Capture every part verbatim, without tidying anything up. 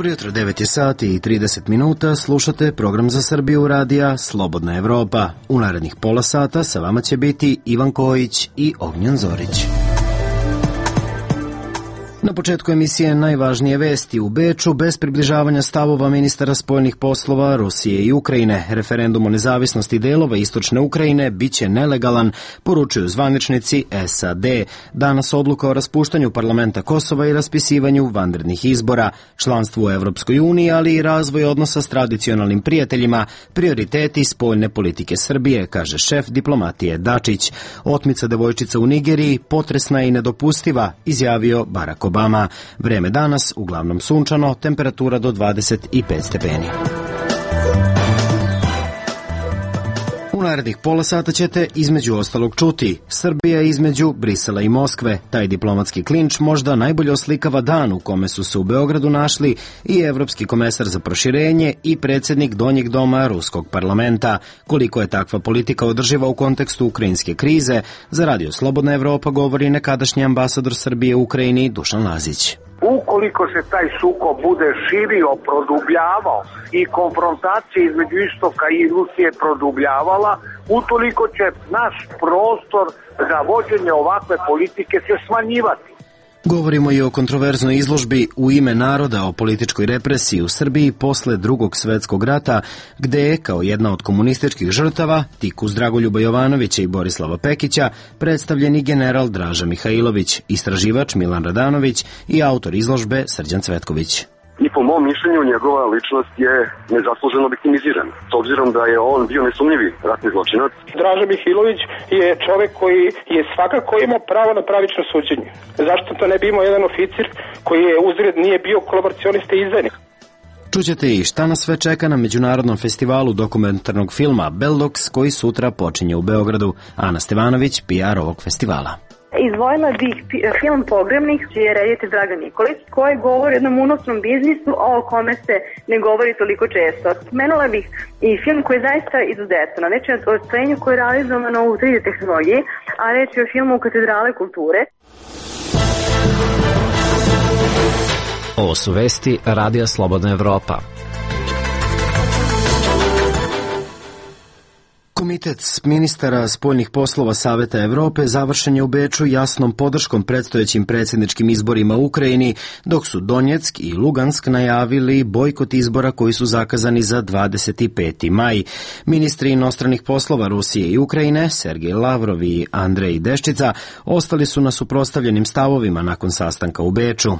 Dobro jutro, devet je sati i trideset minuta, slušate program za Srbiju radija Slobodna Evropa. U narednih pola sata sa vama će biti Ivan Kojić i Ognjen Zorić. Na početku emisije najvažnije vesti. U Beču, bez približavanja stavova ministara spoljnih poslova Rusije i Ukrajine, referendum o nezavisnosti delova istočne Ukrajine biće nelegalan, poručuju zvaničnici S A D. Danas odluka o raspuštanju parlamenta Kosova i raspisivanju vanrednih izbora, članstvu u Evropskoj uniji, ali i razvoj odnosa s tradicionalnim prijateljima, prioriteti spoljne politike Srbije, kaže šef diplomatije Dačić. Otmica devojčica u Nigeriji potresna i nedopustiva, izjavio Barack Obama. Obama. Vreme danas uglavnom sunčano, temperatura do dvadeset pet stepeni. U narednih pola sata ćete između ostalog čuti Srbija između Brisela i Moskve. Taj diplomatski klinč možda najbolje oslikava dan u kome su se u Beogradu našli i evropski komesar za proširenje i predsjednik donjeg doma ruskog parlamenta. Koliko je takva politika održiva u kontekstu ukrajinske krize, za Radio Slobodna Evropa govori nekadašnji ambasador Srbije u Ukrajini Dušan Lazić. Ukoliko se taj sukob bude širio, produbljavao i konfrontacija između Istoka i Rusije produbljavala, utoliko će naš prostor za vođenje ovakve politike se smanjivati. Govorimo i o kontroverznoj izložbi U ime naroda o političkoj represiji u Srbiji posle drugog svetskog rata, gde je, kao jedna od komunističkih žrtava, tik uz Dragoljuba Jovanovića i Borislava Pekića, predstavljeni general Draža Mihajlović, istraživač Milan Radanović i autor izložbe Srđan Cvetković. I po mom mišljenju njegova ličnost je nezasluženo viktimizirana, s obzirom da je on bio nesumnjivi ratni zločinac. Draža Mihajlović je čovek koji je svakako imao pravo na pravično suđenje. Zašto to ne bi imao jedan oficir koji je uzred nije bio kolaboracionista i izdajnik? Čućete i šta nas sve čeka na Međunarodnom festivalu dokumentarnog filma Beldox, koji sutra počinje u Beogradu. Ana Stevanović, P R ovog festivala. Izvojila bih film Pogrebnik, čiji je reditelj Dragan Nikolić, koji govori o jednom unosnom biznisu o kome se ne govori toliko često. Spomenula bih i film koji je zaista izuzetan, reč je o stvorenju koje je realizovano u tri D tehnologiji, a reč je o filmu Katedrale kulture. Ovo su vesti Radija Slobodna Evropa. Komitet ministara spoljnih poslova Saveta Evrope završen je u Beču jasnom podrškom predstojećim predsjedničkim izborima u Ukrajini, dok su Donjeck i Lugansk najavili bojkot izbora koji su zakazani za dvadeset peti maj. Ministri inostranih poslova Rusije i Ukrajine, Sergej Lavrov i Andrej Deščica, ostali su na suprotstavljenim stavovima nakon sastanka u Beču.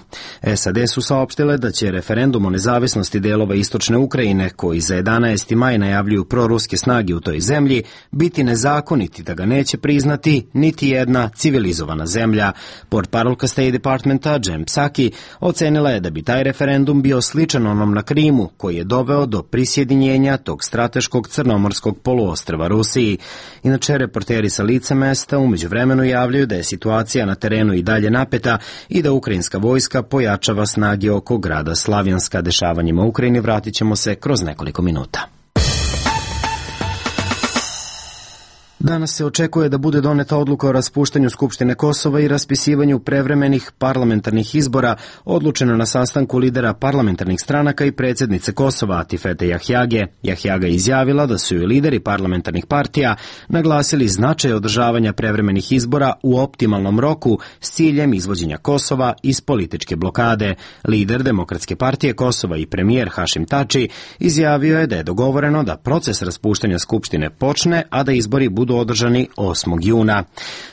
S A D su saopštile da će referendum o nezavisnosti delova istočne Ukrajine, koji za jedanaesti maj najavljuju proruske snage u toj zemlji, biti nezakoniti, da ga neće priznati niti jedna civilizovana zemlja. Portparolka State Departmenta Jen Psaki ocenila je da bi taj referendum bio sličan onom na Krimu, koji je doveo do prisjedinjenja tog strateškog crnomorskog poluostrva Rusiji. Inače, reporteri sa lica mesta umeđu vremenu javljaju da je situacija na terenu i dalje napeta i da ukrajinska vojska pojačava snage oko grada Slavjanska. Dešavanjima u Ukrajini vratit ćemo se kroz nekoliko minuta. Danas se očekuje da bude doneta odluka o raspuštanju Skupštine Kosova i raspisivanju prevremenih parlamentarnih izbora, odlučeno na sastanku lidera parlamentarnih stranaka i predsjednice Kosova Atifete Jahjage. Jahjaga je izjavila da su joj lideri parlamentarnih partija naglasili značaj održavanja prevremenih izbora u optimalnom roku s ciljem izvođenja Kosova iz političke blokade. Lider Demokratske partije Kosova i premijer Hašim Tači izjavio je da je dogovoreno da proces raspuštanja Skupštine počne, a da izbori budu održani osmog juna.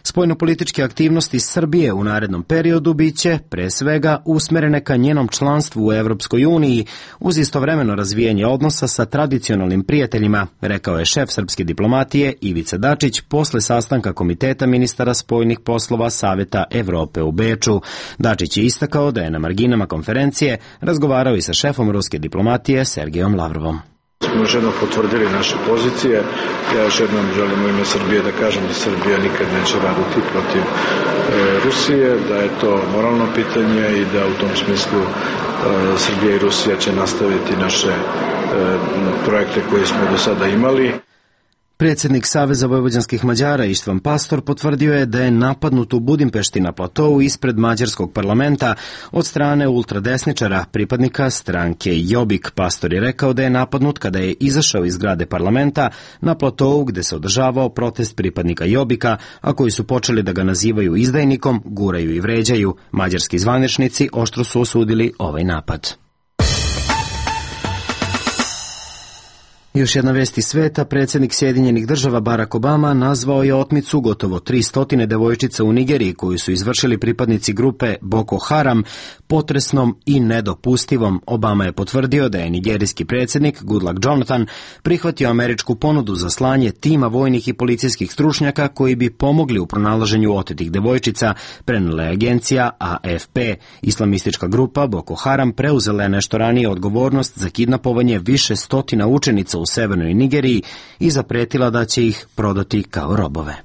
Spoljnopolitičke aktivnosti Srbije u narednom periodu biće, pre svega, usmerene ka njenom članstvu u Evropskoj uniji, uz istovremeno razvijanje odnosa sa tradicionalnim prijateljima, rekao je šef srpske diplomatije Ivica Dačić posle sastanka Komiteta ministara spoljnih poslova Saveta Evrope u Beču. Dačić je istakao da je na marginama konferencije razgovarao i sa šefom ruske diplomatije Sergejom Lavrovom. Smo još jednom potvrdili naše pozicije. Ja još jednom želim u ime Srbije da kažem da Srbija nikad neće raditi protiv e, Rusije, da je to moralno pitanje i da u tom smislu e, Srbija i Rusija će nastaviti naše e, projekte koje smo do sada imali. Predsjednik Saveza vojvođanskih Mađara Ištvan Pastor potvrdio je da je napadnut u Budimpešti na platovu ispred mađarskog parlamenta od strane ultradesničara, pripadnika stranke Jobbik. Pastor je rekao da je napadnut kada je izašao iz zgrade parlamenta na platovu gde se održavao protest pripadnika Jobbika, a koji su počeli da ga nazivaju izdajnikom, guraju i vređaju. Mađarski zvaničnici oštro su osudili ovaj napad. Još jedna vest iz sveta, predsjednik Sjedinjenih država Barack Obama nazvao je otmicu gotovo tristo devojčica u Nigeriji koju su izvršili pripadnici grupe Boko Haram potresnom i nedopustivom. Obama je potvrdio da je nigerijski predsjednik Goodluck Jonathan prihvatio američku ponudu za slanje tima vojnih i policijskih stručnjaka koji bi pomogli u pronalaženju otetih devojčica, prenela je agencija A F P. Islamistička grupa Boko Haram preuzela je nešto ranije odgovornost za kidnapovanje više stotina učenica u severnoj Nigeriji i zapretila da će ih prodati kao robove.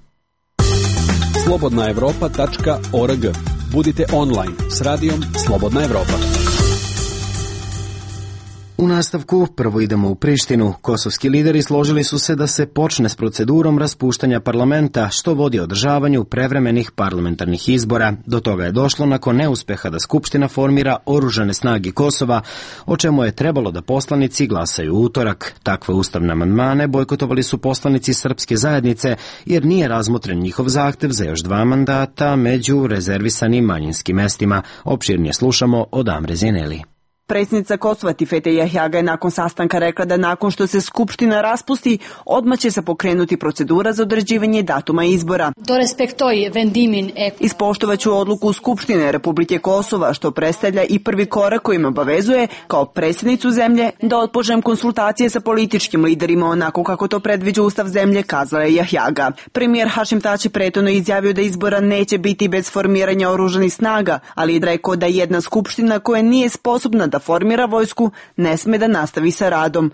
slobodna evropa tačka org. Budite online s radijom Slobodna Evropa. U nastavku prvo idemo u Prištinu. Kosovski lideri složili su se da se počne s procedurom raspuštanja parlamenta, što vodi održavanju prevremenih parlamentarnih izbora. Do toga je došlo nakon neuspeha da Skupština formira oružane snage Kosova, o čemu je trebalo da poslanici glasaju u utorak. Takve ustavne amandmane bojkotovali su poslanici Srpske zajednice, jer nije razmotren njihov zahtev za još dva mandata među rezervisanim manjinskim mestima. Opširnije slušamo od Amre Zineli. Predsjednica Kosova Tifete Jahjaga je nakon sastanka rekla da nakon što se Skupština raspusti, odmah će se pokrenuti procedura za određivanje datuma izbora. Ispoštovaću odluku Skupštine Republike Kosova, što predstavlja i prvi korak kojim obavezuje, kao predsjednicu zemlje, da otpočnem konsultacije sa političkim liderima onako kako to predviđa ustav zemlje, kazala je Jahjaga. Premijer Hašim Tači prethodno izjavio da izbora neće biti bez formiranja oružanih snaga, ali je rekao da jedna Skupština koja nije sposobna da formira vojsku ne sme da nastavi sa radom.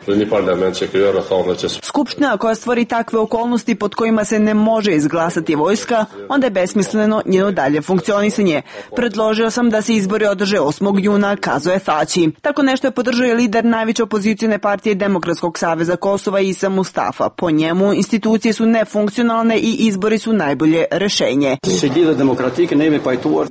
Skupština koja stvori takve okolnosti pod kojima se ne može izglasati vojska, onda je besmisleno njeno dalje funkcionisanje. Predložio sam da se izbori održe osmog juna, kazao je Tači. Tako nešto je podržao i lider najveće opozicione partije Demokratskog saveza Kosova Isa Mustafa. Po njemu institucije su nefunkcionalne i izbori su najbolje rešenje.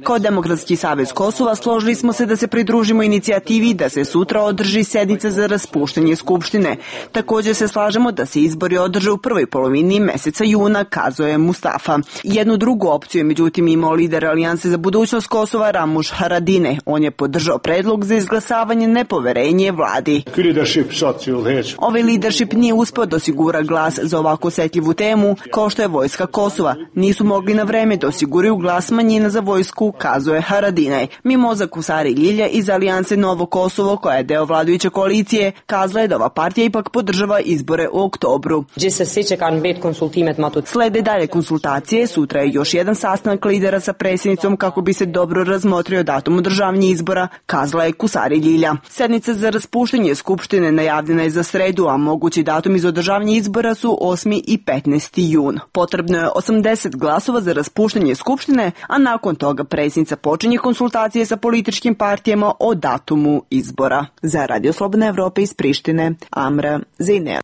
Kao Demokratski savez Kosova složili smo se da se pridružimo inicijativi da se sutra održi sednica za raspuštanje Skupštine. Također se slažemo da se izbori održe u prvoj polovini meseca juna, kazao je Mustafa. Jednu drugu opciju je međutim imao lider Alijanse za budućnost Kosova Ramuš Haradine. On je podržao predlog za izglasavanje nepoverenje vladi. Ovaj leadership nije uspeo da osigura glas za ovako osetljivu temu, kao što je vojska Kosova. Nisu mogli na vreme da osiguraju glas manjina za vojsku, kazao je Haradine. Mimoza Kusari Ljilja iz Alijanse Novo Kosovo, koja je deo vladajuće koalicije, kazala je da ova partija ipak podržava izbore u oktobru. Slede dalje konsultacije, sutra je još jedan sastanak lidera sa predsjednicom kako bi se dobro razmotrio datum održavanja izbora, kazala je Kusari Ljilja. Sednica za raspuštanje Skupštine najavljena je za sredu, a mogući datum iz održavanja izbora su osmi i petnaesti jun. Potrebno je osamdeset glasova za raspuštanje Skupštine, a nakon toga predsjednica počinje konsultacije sa političkim partijama o datumu izbora. Za Radio Slobodna Evropa iz Prištine, Amra Zinel.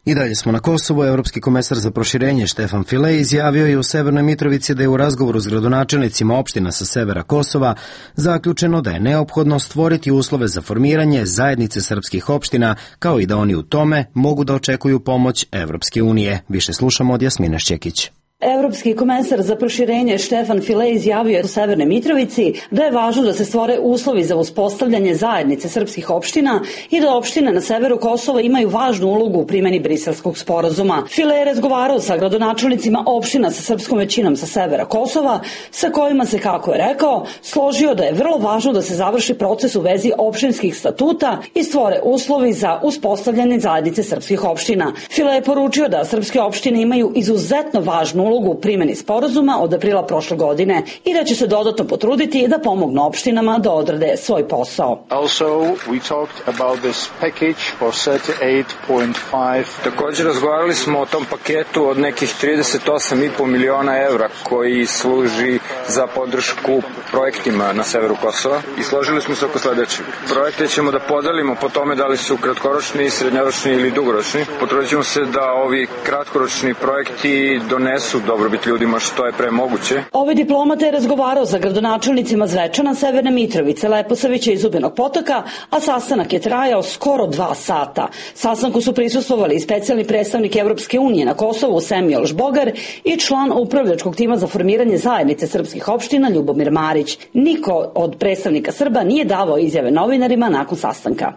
I dalje smo na Kosovu. Evropski komesar za proširenje Štefan File izjavio je u Severnoj Mitrovici da je u razgovoru s gradonačelnicima opština sa severa Kosova zaključeno da je neophodno stvoriti uslove za formiranje zajednice srpskih opština, kao i da oni u tome mogu da očekuju pomoć Evropske unije. Više slušamo od Jasmine Šćekić. Evropski komesar za proširenje Štefan File izjavio je u Severnoj Mitrovici da je važno da se stvore uslovi za uspostavljanje zajednice srpskih opština i da opštine na severu Kosova imaju važnu ulogu u primjeni Briselskog sporazuma. File je razgovarao sa gradonačelnicima opština sa srpskom većinom sa severa Kosova, sa kojima se, kako je rekao, složio da je vrlo važno da se završi proces u vezi opštinskih statuta i stvore uslovi za uspostavljanje zajednice srpskih opština. File je poručio da srpske opštine imaju izuzetno važnu ulogu u primjeni sporazuma od aprila prošle godine i da će se dodatno potruditi da pomognu opštinama da odrade svoj posao. Also, we talked about this package for thirty-eight point five. Također razgovarali smo o tom paketu od nekih trideset osam i po miliona evra koji služi za podršku projektima na severu Kosova i složili smo se oko sledećeg. Projekte ćemo da podelimo po tome da li su kratkoročni, srednjoročni ili dugoročni. Potrudit ćemo se da ovi kratkoročni projekti donesu dobrobit ljudima što je pre moguće. Ovaj diplomata je razgovarao sa gradonačelnicima Zvečana, Severne Mitrovice, Leposavića i Zubinog Potoka, a sastanak je trajao skoro dva sata. Sastanku su prisustvovali i specijalni predstavnik Evropske unije na Kosovu Semioš Bogar i član upravljačkog tima za formiranje zajednice srpskih opština Ljubomir Marić. Niko od predstavnika Srba nije davao izjave novinarima nakon sastanka.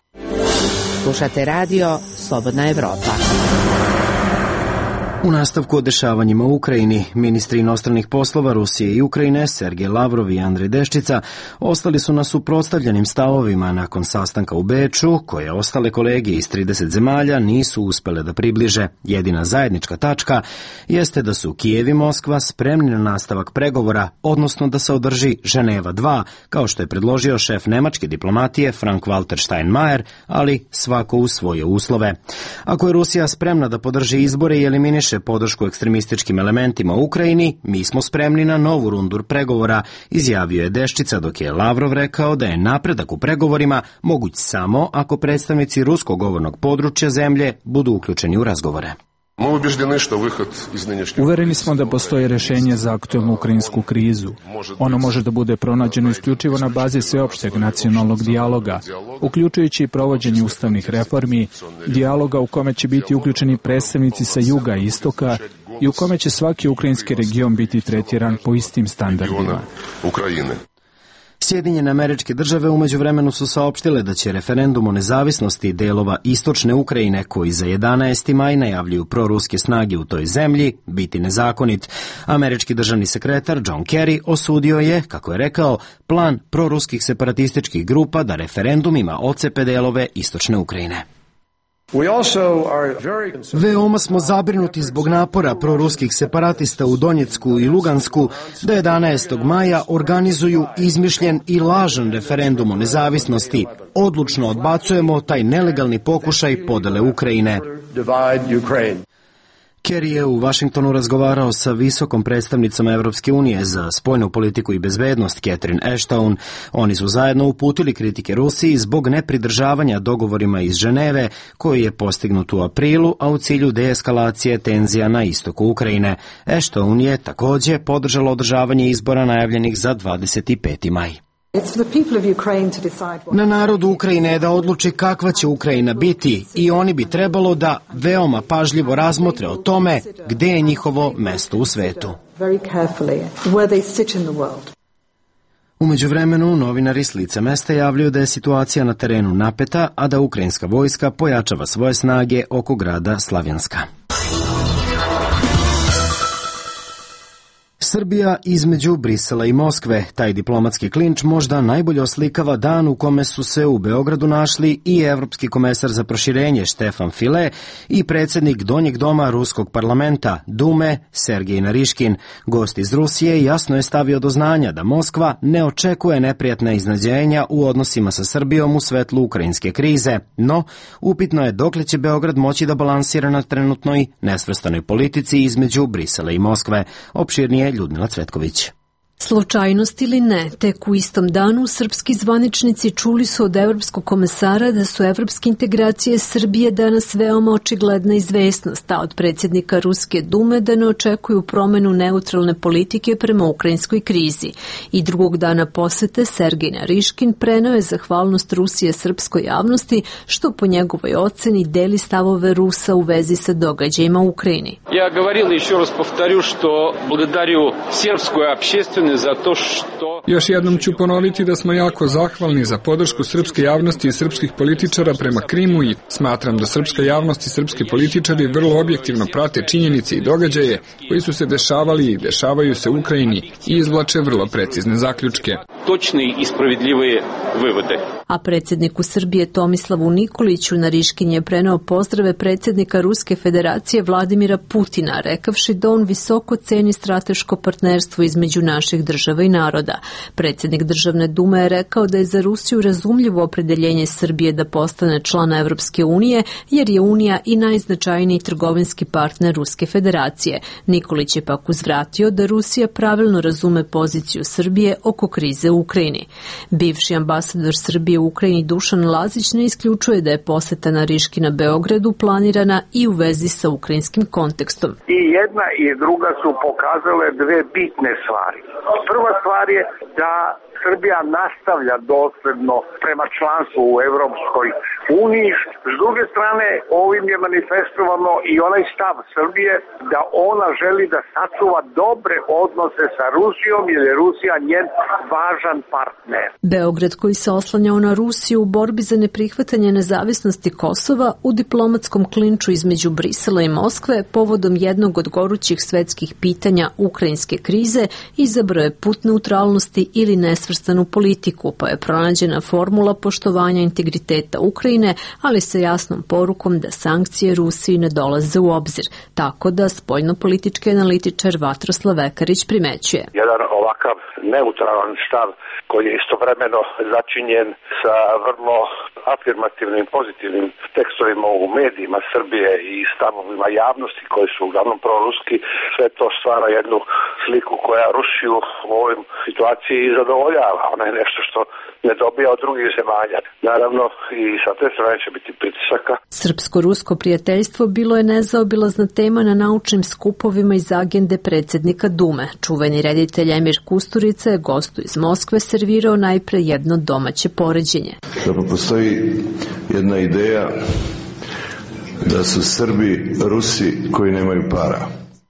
Slušate radio Slobodna Evropa. U nastavku o dešavanjima u Ukrajini, ministri inostranih poslova Rusije i Ukrajine, Sergej Lavrov i Andrej Deščica, ostali su na suprotstavljenim stavovima nakon sastanka u Beču, koje ostale kolege iz trideset zemalja nisu uspele da približe. Jedina zajednička tačka jeste da su Kijev i Moskva spremni na nastavak pregovora, odnosno da se održi Ženeva dva, kao što je predložio šef nemačke diplomatije Frank-Walter Steinmeier, ali svako u svoje uslove. Ako je Rusija spremna da podrži izbore i eliminiše podršku ekstremističkim elementima u Ukrajini, mi smo spremni na novu rundu pregovora, izjavio je Deščica, dok je Lavrov rekao da je napredak u pregovorima moguć samo ako predstavnici ruskog govornog područja zemlje budu uključeni u razgovore. Uvereni smo da postoji rešenje za aktuelnu ukrajinsku krizu. Ono može da bude pronađeno isključivo na bazi sveopšteg nacionalnog dijaloga, uključujući i provođenje ustavnih reformi, dijaloga u kome će biti uključeni predstavnici sa juga i istoka i u kome će svaki ukrajinski region biti tretiran po istim standardima. Sjedinjene Američke Države umeđu vremenu su saopštile da će referendum o nezavisnosti delova istočne Ukrajine, koji za jedanaesti maj najavljuju proruske snage u toj zemlji, biti nezakonit. Američki državni sekretar John Kerry osudio je, kako je rekao, plan proruskih separatističkih grupa da referendumima ocepe delove istočne Ukrajine. Veoma smo zabrinuti zbog napora proruskih separatista u Donjecku i Lugansku da jedanaestog maja organizuju izmišljen i lažan referendum o nezavisnosti. Odlučno odbacujemo taj nelegalni pokušaj podele Ukrajine. Kerry je u Vašingtonu razgovarao sa visokom predstavnicom Evropske unije za spoljnu politiku i bezbednost Catherine Ashton. Oni su zajedno uputili kritike Rusiji zbog nepridržavanja dogovorima iz Ženeve, koji je postignut u aprilu, a u cilju deeskalacije tenzija na istoku Ukrajine. Ashton je takođe podržala održavanje izbora najavljenih za dvadeset peti maj. Na narodu Ukrajine je da odluči kakva će Ukrajina biti i oni bi trebalo da veoma pažljivo razmotre o tome gde je njihovo mesto u svetu. Umeđu vremenu, novinari s lica mesta javljaju da je situacija na terenu napeta, a da ukrajinska vojska pojačava svoje snage oko grada Slavjanska. Srbija između Brisela i Moskve. Taj diplomatski klinč možda najbolje oslikava dan u kome su se u Beogradu našli i evropski komesar za proširenje Štefan File i predsjednik Donjeg doma Ruskog parlamenta Dume Sergej Nariškin. Gost iz Rusije jasno je stavio do znanja da Moskva ne očekuje neprijatna iznenađenja u odnosima sa Srbijom u svetlu ukrajinske krize, no upitno je dokle će Beograd moći da balansira na trenutnoj nesvrstanoj politici između Brisela i Moskve. Opširnije Ljudmila Cvetković. Slučajnost ili ne, tek u istom danu srpski zvaničnici čuli su od evropskog komesara da su evropske integracije Srbije danas veoma očigledna izvesnost, a od predsjednika Ruske dume da ne očekuju promenu neutralne politike prema ukrajinskoj krizi. I drugog dana posete Sergej Nariškin preneo je zahvalnost Rusije srpskoj javnosti, što po njegovoj oceni deli stavove Rusa u vezi sa događajima u Ukrajini. Ja govorila još raz povtarju što благодарю srpsku общественность. Još jednom ću ponoviti da smo jako zahvalni za podršku srpske javnosti i srpskih političara prema Krimu i smatram da srpska javnost i srpski političari vrlo objektivno prate činjenice i događaje koji su se dešavali i dešavaju se u Ukrajini i izvlače vrlo precizne zaključke. точные и справедливые выводы. A predsjedniku Srbije Tomislavu Nikoliću Nariškin je preneo pozdrave predsjednika Ruske federacije Vladimira Putina, rekavši da on visoko ceni strateško partnerstvo između naših država i naroda. Predsjednik Državne dume je rekao da je za Rusiju razumljivo opredeljenje Srbije da postane člana Evropske unije, jer je Unija i najznačajniji trgovinski partner Ruske federacije. Nikolić je pak uzvratio da Rusija pravilno razume poziciju Srbije oko krize u Ukrajini. Bivši ambasador Srbije u Ukrajini Dušan Lazić ne isključuje da je poseta Nariškina Beogradu planirana i u vezi sa ukrajinskim kontekstom. I jedna i druga su pokazale dve bitne stvari. Prva stvar je da Srbija nastavlja dosledno prema članstvu u Evropskoj uniji. S druge strane, ovim je manifestovano i onaj stav Srbije da ona želi da sačuva dobre odnose sa Rusijom, jer je Rusija njen važan partner. Beograd, koji se oslanjao na Rusiju u borbi za neprihvatanje nezavisnosti Kosova, u diplomatskom klinču između Brisela i Moskve povodom jednog od gorućih svetskih pitanja ukrajinske krize izabrao je put neutralnosti ili nesvrstanu politiku, pa je pronađena formula poštovanja integriteta Ukrajine, ali sa jasnom porukom da sankcije Rusiji ne dolaze u obzir, tako da spoljnopolitički analitičar Vatroslav Vekarić primećuje. Jedan ovakav neutralan stav koji je istovremeno začinjen sa vrlo afirmativnim, pozitivnim tekstovima u medijima Srbije i stavovima javnosti koji su uglavnom proruski, sve to stvara jednu sliku koja Rusiju u ovoj situaciji zadovoljava. Ona je nešto što ne dobija od drugih zemalja. Naravno i sa te strane će biti pritisaka. Srpsko-rusko prijateljstvo bilo je nezaobilazna tema na naučnim skupovima iz agende predsjednika Dume. Čuveni reditelj Emir Kusturica je gostu iz Moskve servirao najpre jedno domaće poređenje. Da postoji jedna ideja da su Srbi Rusi koji nemaju para.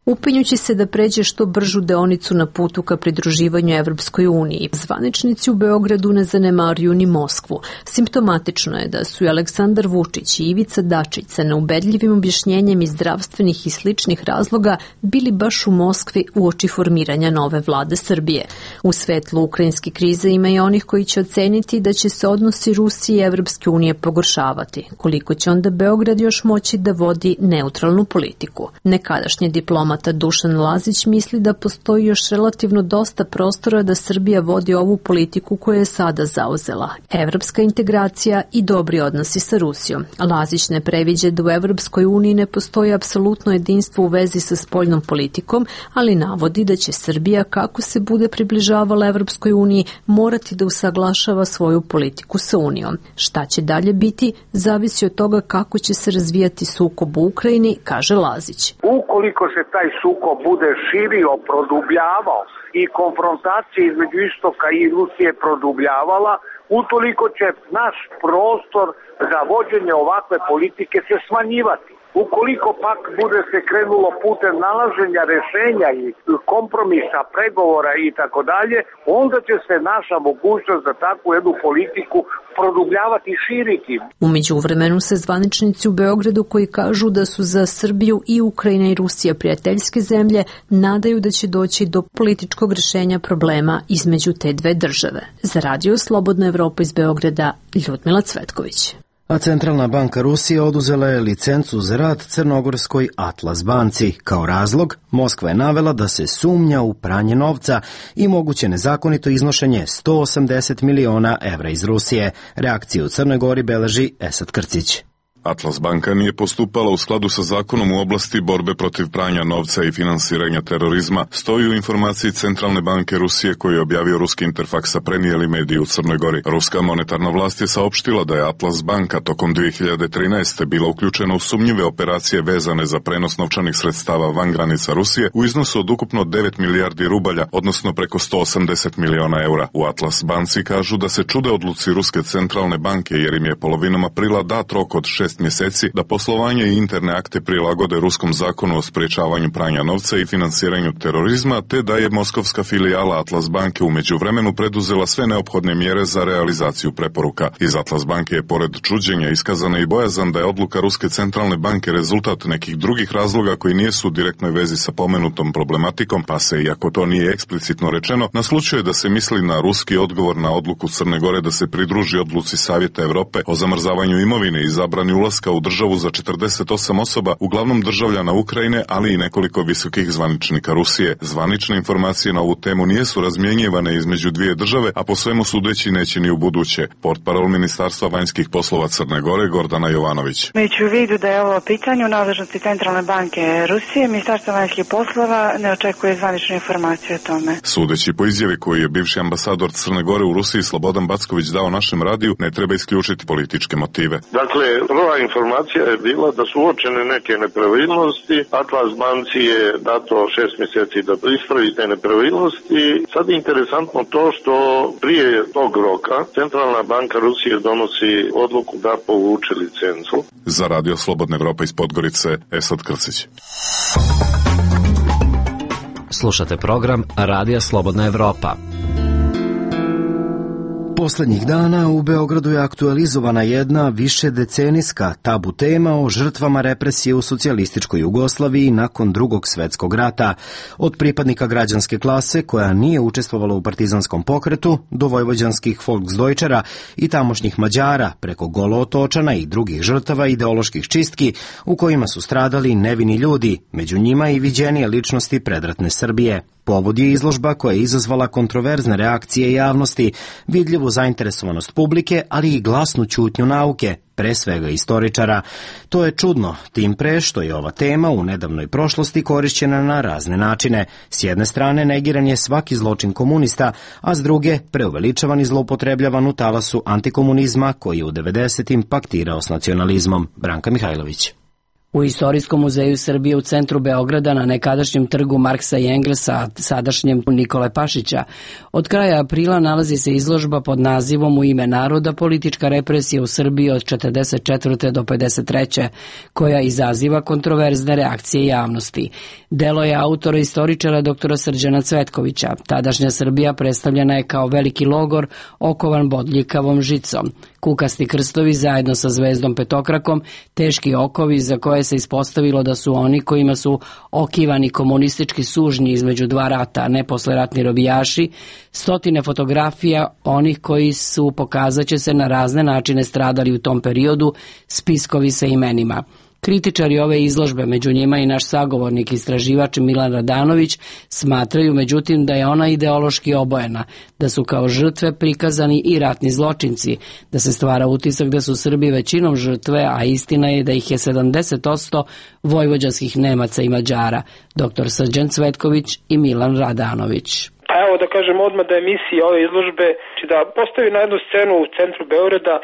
Upinjući se da pređe što bržu deonicu na putu ka pridruživanju Evropskoj uniji, zvaničnici u Beogradu ne zanemaruju ni Moskvu. Simptomatično je da su i Aleksandar Vučić i Ivica Dačić sa neubedljivim objašnjenjem iz zdravstvenih i sličnih razloga bili baš u Moskvi uoči formiranja nove vlade Srbije. U svetlu ukrajinske krize ima i onih koji će oceniti da će se odnosi Rusije i Evropske unije pogoršavati. Koliko će onda Beograd još moći da vodi neutralnu politiku? Nekadašnji diplomat Dušan Lazić misli da postoji još relativno dosta prostora da Srbija vodi ovu politiku koju je sada zauzela. Evropska integracija i dobri odnosi sa Rusijom. Lazić ne previđa da u Evropskoj uniji ne postoji apsolutno jedinstvo u vezi sa spoljnom politikom, ali navodi da će Srbija, kako se bude približavala Evropskoj uniji, morati da usaglašava svoju politiku sa Unijom. Šta će dalje biti, zavisi od toga kako će se razvijati sukob u Ukrajini, kaže Lazić. Ukoliko se taj sukob bude širio, produbljavao i konfrontacija između istoka i Rusije produbljavala, utoliko će naš prostor za vođenje ovakve politike se smanjivati. Ukoliko pak bude se krenulo putem nalaženja rešenja i kompromisa, pregovora i tako dalje, onda će se naša mogućnost za takvu jednu politiku produbljavati i širiti. U međuvremenu se zvaničnici u Beogradu, koji kažu da su za Srbiju i Ukrajina i Rusija prijateljske zemlje, nadaju da će doći do političkog rešenja problema između te dve države. Za Radio Slobodna Evropa iz Beograda, Ljudmila Cvetković. A Centralna banka Rusije oduzela je licencu za rad crnogorskoj Atlas banci. Kao razlog, Moskva je navela da se sumnja u pranje novca i moguće nezakonito iznošenje sto osamdeset miliona evra iz Rusije. Reakciju u Crnoj Gori beleži Esad Krcić. Atlas banka nije postupala u skladu sa zakonom u oblasti borbe protiv pranja novca i finansiranja terorizma, stoji u informaciji Centralne banke Rusije koju je objavio ruski Interfaks, a prenijeli mediji u Crnoj Gori. Ruska monetarna vlast je saopštila da je Atlas banka tokom dve hiljade trinaeste. bila uključena u sumnjive operacije vezane za prenos novčanih sredstava van granica Rusije u iznosu od ukupno devet milijardi rubalja, odnosno preko sto osamdeset miliona eura. U Atlas banci kažu da se čude odluci Ruske centralne banke jer im je polovinom aprila dat rok od šest šest mjeseci da poslovanje i interne akte prilagode ruskom zakonu o sprečavanju pranja novca i finansiranju terorizma, te da je moskovska filijala Atlas banke u međuvremenu preduzela sve neophodne mjere za realizaciju preporuka. Iz Atlas banke je pored čuđenja iskazana i bojazan da je odluka Ruske centralne banke rezultat nekih drugih razloga koji nisu u direktnoj vezi sa pomenutom problematikom, pa se, iako to nije eksplicitno rečeno, naslučuje da se misli na ruski odgovor na odluku Crne Gore da se pridruži odluci Savjeta Evrope o zamrzavanju imovine i zabrani ulaska u državu za četrdeset osam osoba, uglavnom državljana Ukrajine, ali i nekoliko visokih zvaničnika Rusije. Zvanične informacije na ovu temu nisu razmjenjivane između dvije države, a po svemu sudeći neće ni u buduće. Portparol Ministarstva vanjskih poslova Crne Gore Gordana Jovanović. Imajući u vidu da je ovo pitanje u nadležnosti Centralne banke Rusije, Ministarstvo vanjskih poslova ne očekuje zvanične informacije o tome. Sudeći po izjavi koju je bivši ambasador Crne Gore u Rusiji Slobodan Backović dao našem radiju, ne treba isključiti političke motive. Dakle, prva informacija je bila da su uočene neke nepravilnosti. Atlas banci je dato šest mjeseci da ispravi te nepravilnosti. Sad je interesantno to što prije tog roka Centralna banka Rusije donosi odluku da povuče licencu. Za Radio Slobodna Evropa iz Podgorice, Esad Krcić. Slušate program Radija Slobodna Evropa. Poslednjih dana u Beogradu je aktualizovana jedna višedecenijska tabu tema o žrtvama represije u socijalističkoj Jugoslaviji nakon Drugog svetskog rata, od pripadnika građanske klase koja nije učestvovala u partizanskom pokretu do vojvođanskih Volksdeutschera i tamošnjih Mađara preko Golootočana i drugih žrtava ideoloških čistki u kojima su stradali nevini ljudi, među njima i viđenije ličnosti predratne Srbije. Povod je izložba koja je izazvala kontroverzne reakcije javnosti, vidljivu zainteresovanost publike, ali i glasnu ćutnju nauke, pre svega istoričara. To je čudno, tim pre što je ova tema u nedavnoj prošlosti korišćena na razne načine. S jedne strane negiran je svaki zločin komunista, a s druge preuveličavan i zloupotrebljavan u talasu antikomunizma koji je u devedesetim paktirao s nacionalizmom. Branka Mihajlović. U Istorijskom muzeju Srbije u centru Beograda na nekadašnjem trgu Marksa i Engelsa, sadašnjem Nikole Pašića, od kraja aprila nalazi se izložba pod nazivom U ime naroda, politička represija u Srbiji od četrdeset četvrte do pedeset treće, koja izaziva kontroverzne reakcije javnosti. Delo je autora istoričara doktora Srđana Cvetkovića. Tadašnja Srbija predstavljena je kao veliki logor okovan bodljikavom žicom. Kukasti krstovi zajedno sa zvezdom petokrakom, teški okovi za koje se ispostavilo da su oni kojima su okivani komunistički sužnji između dva rata, a ne posleratni robijaši, stotine fotografija onih koji su, pokazaće se, na razne načine stradali u tom periodu, spiskovi sa imenima. Kritičari ove izložbe, među njima i naš sagovornik istraživač Milan Radanović, smatraju međutim da je ona ideološki obojena, da su kao žrtve prikazani i ratni zločinci, da se stvara utisak da su Srbi većinom žrtve, a istina je da ih je sedamdeset posto vojvođanskih Nemaca i Mađara. Doktor Srđan Cvetković i Milan Radanović. Pa evo da kažem odmah da emisija ove izložbe da postavi na jednu scenu u centru Beograda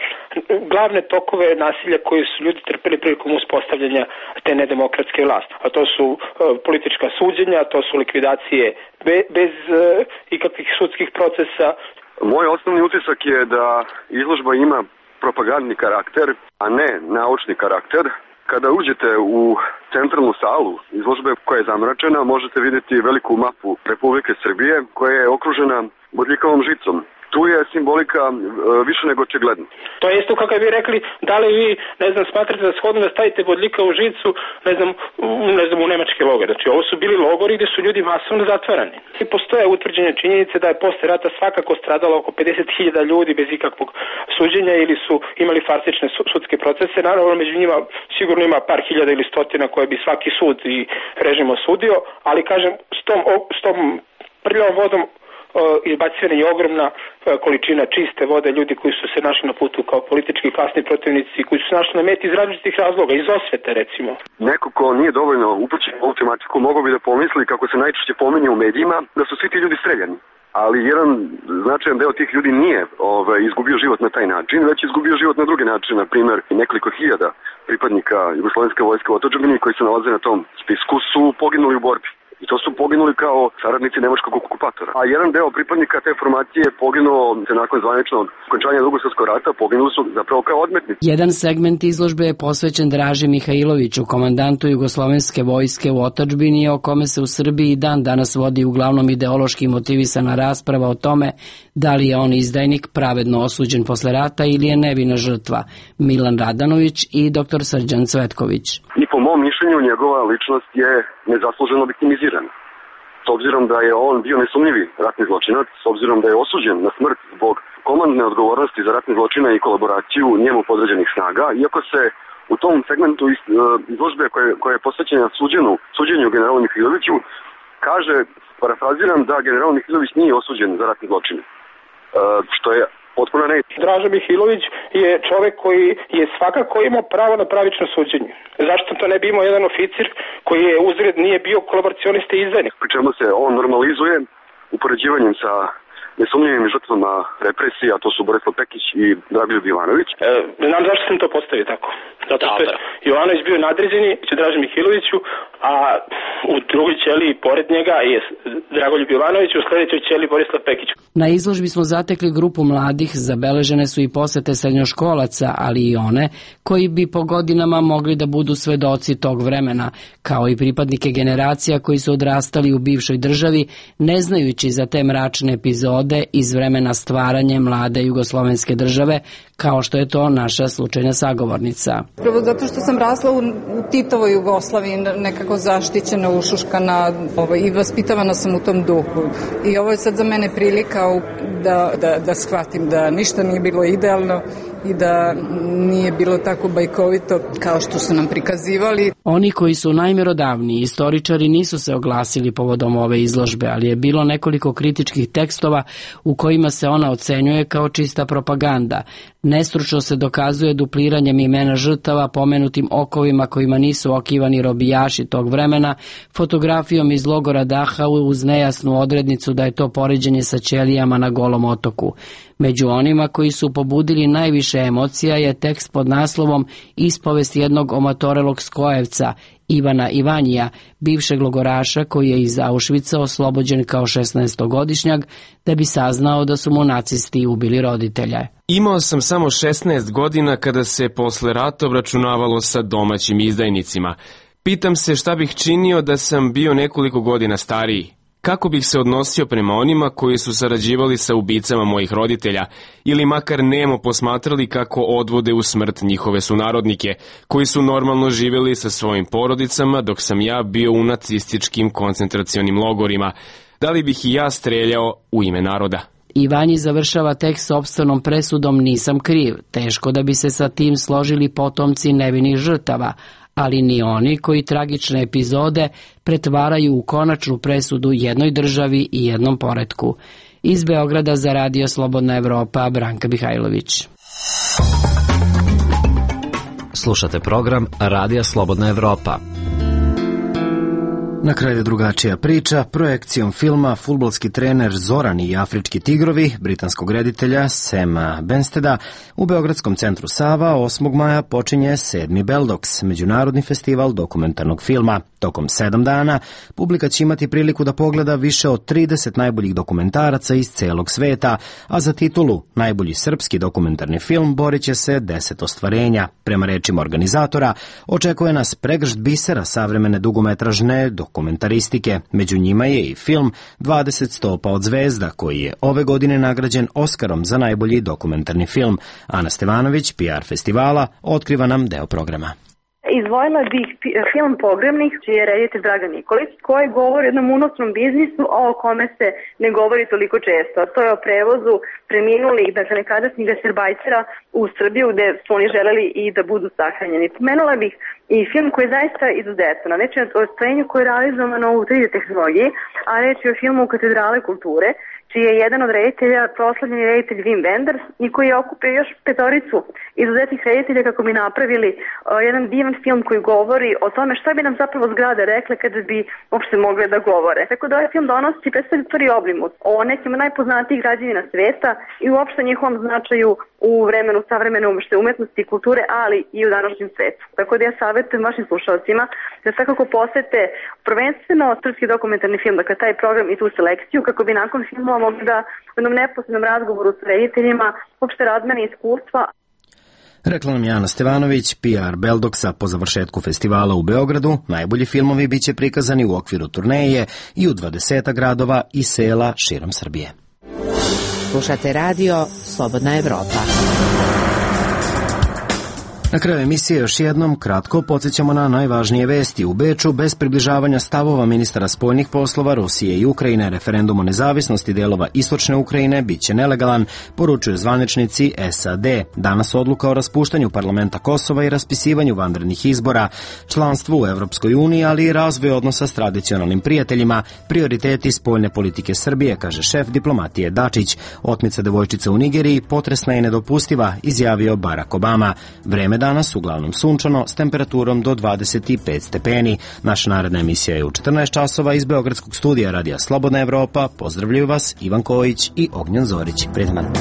glavne tokove nasilja koje su ljudi trpeli prilikom uspostavljanja te nedemokratske vlasti. A to su uh, politička suđenja, to su likvidacije be, bez uh, ikakvih sudskih procesa. Moj osnovni utisak je da izložba ima propagandni karakter, a ne naučni karakter. Kada uđete u centralnu salu izložbe koja je zamračena, možete vidjeti veliku mapu Republike Srbije koja je okružena bodljikavom žicom. Tu je simbolika e, više nego očigledna. To je isto kako vi rekli, da li vi, ne znam, smatrate da shodno da stavite bodljika u žicu, ne znam, u, ne znam, u nemačke logore. Znači, ovo su bili logori gde su ljudi masovno zatvarani. I postoje utvrđene činjenice da je posle rata svakako stradalo oko pedeset hiljada ljudi bez ikakvog suđenja ili su imali farsične sudske procese. Naravno, među njima sigurno ima par hiljada ili stotina koje bi svaki sud i režim osudio, ali kažem, s tom, s tom prljavom vodom izbacivana je ogromna količina čiste vode, ljudi koji su se našli na putu kao politički klasni protivnici, koji su se našli na meti iz različitih razloga, iz osvete recimo. Neko ko nije dovoljno upućen u ovu tematiku mogao bi da pomisli, kako se najčešće pominje u medijima, da su svi ti ljudi streljani. Ali jedan značajan deo tih ljudi nije ovaj, izgubio život na taj način, već izgubio život na drugi način. Na primjer, nekoliko hiljada pripadnika Jugoslovenske vojske u otadžbini koji se nalaze na tom spisku su poginuli u borbi. I to su poginuli kao saradnici nemačkog okupatora. A jedan deo pripadnika te formacije je poginuo nakon zvaničnog okončanja Drugog svjetskog rata, poginuli su zapravo kao odmetnici. Jedan segment izložbe je posvećen Draži Mihajloviću, komandantu jugoslovenske vojske u otadžbini, o kome se u Srbiji i dan danas vodi uglavnom ideološki motivisana rasprava o tome da li je on izdajnik pravedno osuđen posle rata ili je nevina žrtva. Milan Radanović i doktor Srđan Cvetković. I po mom mišljenju njegova ličnost je nezasluženo viktimizirana. S obzirom da je on bio nesumnjivi ratni zločinac, s obzirom da je osuđen na smrt zbog komandne odgovornosti za ratne zločine i kolaboraciju njemu podređenih snaga, iako se u tom segmentu izložbe koje, koje je posvećena suđenu, suđenju generalu Mihajloviću kaže, parafraziram, da general Mihajlović nije osuđen za ratne zločine, što je potpuno ne. Draža Mihajlović je čovek koji je svakako imao pravo na pravično suđenje. Zašto to ne bi imao jedan oficir koji je uzred nije bio kolaboracionista i izdajnik? Pri čemu se on normalizuje upoređivanjem sa nesumnjivim žrtvama represije, a to su Borislav Pekić i Dragoljub Jovanović. E, znam zašto sam to postavio tako. Zato što je Jovanović bio nadređeni Draži Mihajloviću, a u drugoj ćeliji pored njega je Dragoljub Jovanović, u sledećoj ćeliji Borislav Pekić. Na izložbi smo zatekli grupu mladih, zabeležene su i posete srednjoškolaca, ali i one koji bi po godinama mogli da budu svedoci tog vremena, kao i pripadnike generacija koji su odrastali u bivšoj državi, ne znajući za te mračne epizode iz vremena stvaranja mlade jugoslovenske države, kao što je to naša slučajna sagovornica. Prvo zato što sam rasla u, u Titovoj Jugoslaviji, nekako zaštićena, ušuškana, ovaj, i vaspitavana sam u tom duhu. I ovo je sad za mene prilika da, da, da shvatim da ništa nije bilo idealno i da nije bilo tako bajkovito kao što su nam prikazivali. Oni koji su najmerodavniji istoričari nisu se oglasili povodom ove izložbe, ali je bilo nekoliko kritičkih tekstova u kojima se ona ocenjuje kao čista propaganda. Nestručno se dokazuje dupliranjem imena žrtava, pomenutim okovima kojima nisu okivani robijaši tog vremena, fotografijom iz logora Dachau uz nejasnu odrednicu da je to poređenje sa ćelijama na Golom otoku. Među onima koji su pobudili najviše emocija je tekst pod naslovom Ispovest jednog omatorelog skojevca, Ivana Ivanija, bivšeg logoraša koji je iz Auschwitza oslobođen kao šesnaestogodišnjak da bi saznao da su mu nacisti ubili roditelje. Imao sam samo šesnaest godina kada se posle rata obračunavalo sa domaćim izdajnicima. Pitam se šta bih činio da sam bio nekoliko godina stariji. Kako bih se odnosio prema onima koji su sarađivali sa ubicama mojih roditelja ili makar nemo posmatrali kako odvode u smrt njihove sunarodnike, koji su normalno živjeli sa svojim porodicama dok sam ja bio u nacističkim koncentracionim logorima. Da li bih i ja streljao u ime naroda? Ivanji završava tekst sopstvenom presudom Nisam kriv. Teško da bi se sa tim složili potomci nevinih žrtava, ali ni oni koji tragične epizode pretvaraju u konačnu presudu jednoj državi i jednom poretku. Iz Beograda za Radio Slobodna Evropa, Branka Mihajlović. Slušate program Radija Slobodna Evropa. Na kraju drugačija priča, projekcijom filma Fudbalski trener Zoran i afrički tigrovi, britanskog reditelja Sema Bensteda, u Beogradskom centru Sava osmog maja počinje sedmi Beldoks, međunarodni festival dokumentarnog filma. Tokom sedam dana publika će imati priliku da pogleda više od trideset najboljih dokumentaraca iz celog sveta, a za titulu najbolji srpski dokumentarni film borit će se deset ostvarenja. Prema rečima organizatora, očekuje nas pregršt bisera savremene dugometražne dokumentaristike. Među njima je i film dvadeset stopa od zvezda, koji je ove godine nagrađen Oskarom za najbolji dokumentarni film. Ana Stevanović, P R festivala, otkriva nam deo programa. Izdvojila bih film Pogrebnik, čiji je reditelj Dragan Nikolić, koji govori o jednom unosnom biznisu o kome se ne govori toliko često. To je o prevozu preminulih, dakle nekadašnjih gastarbajtera u Srbiju, gde su oni želeli i da budu sahranjeni. Pomenula bih i film koji je zaista izuzetan. Reč je o ostvarenju koje je realizovano u tri D tehnologiji, a reč je o filmu Katedrale kulture, čiji je jedan od reditelja proslavljeni reditelj Wim Wenders i koji je okupio još petoricu izuzetnih reditelja kako bi napravili uh, jedan divan film koji govori o tome šta bi nam zapravo zgrade rekle kada bi uopšte mogle da govore. Tako da ovaj film donosi predstavlja prvi oblimut o nekim najpoznatijih građevina sveta i uopšte njihovom značaju u vremenu savremene umetnosti i kulture, ali i u današnjem svetu. Tako da ja savjetujem vašim slušalcima da svakako posete prvenstveno srpski dokumentarni film, dakle taj program i tu selekciju, kako bi nakon filmova mogli da u jednom neposrednom razgovoru s rediteljima uopšte razmene iskustva. Rekla nam Jana Stevanović, P R Beldoksa po završetku festivala u Beogradu. Najbolji filmovi biće prikazani u okviru turneje i u dvadeset gradova i sela širom Srbije. Slušate radio Slobodna Evropa. Na kraju emisije još jednom kratko podsjećamo na najvažnije vesti. U Beču, bez približavanja stavova ministara spoljnih poslova Rusije i Ukrajine, referendum o nezavisnosti delova istočne Ukrajine biće nelegalan, poručuju zvaničnici S A D. Danas odluka o raspuštanju parlamenta Kosova i raspisivanju vanrednih izbora, članstvu u Evropskoj uniji, ali i razvoj odnosa s tradicionalnim prijateljima, prioriteti spoljne politike Srbije, kaže šef diplomatije Dačić. Otmica devojčice u Nigeriji potresna i nedopustiva, izjavio Barack Obama. Vreme danas uglavnom sunčano s temperaturom do dvadeset pet stepeni. Naša naredna emisija je u četrnaest časova iz Beogradskog studija Radija Slobodna Evropa. Pozdravljaju vas Ivan Kojić i Ognjen Zorić. Prijetan dan.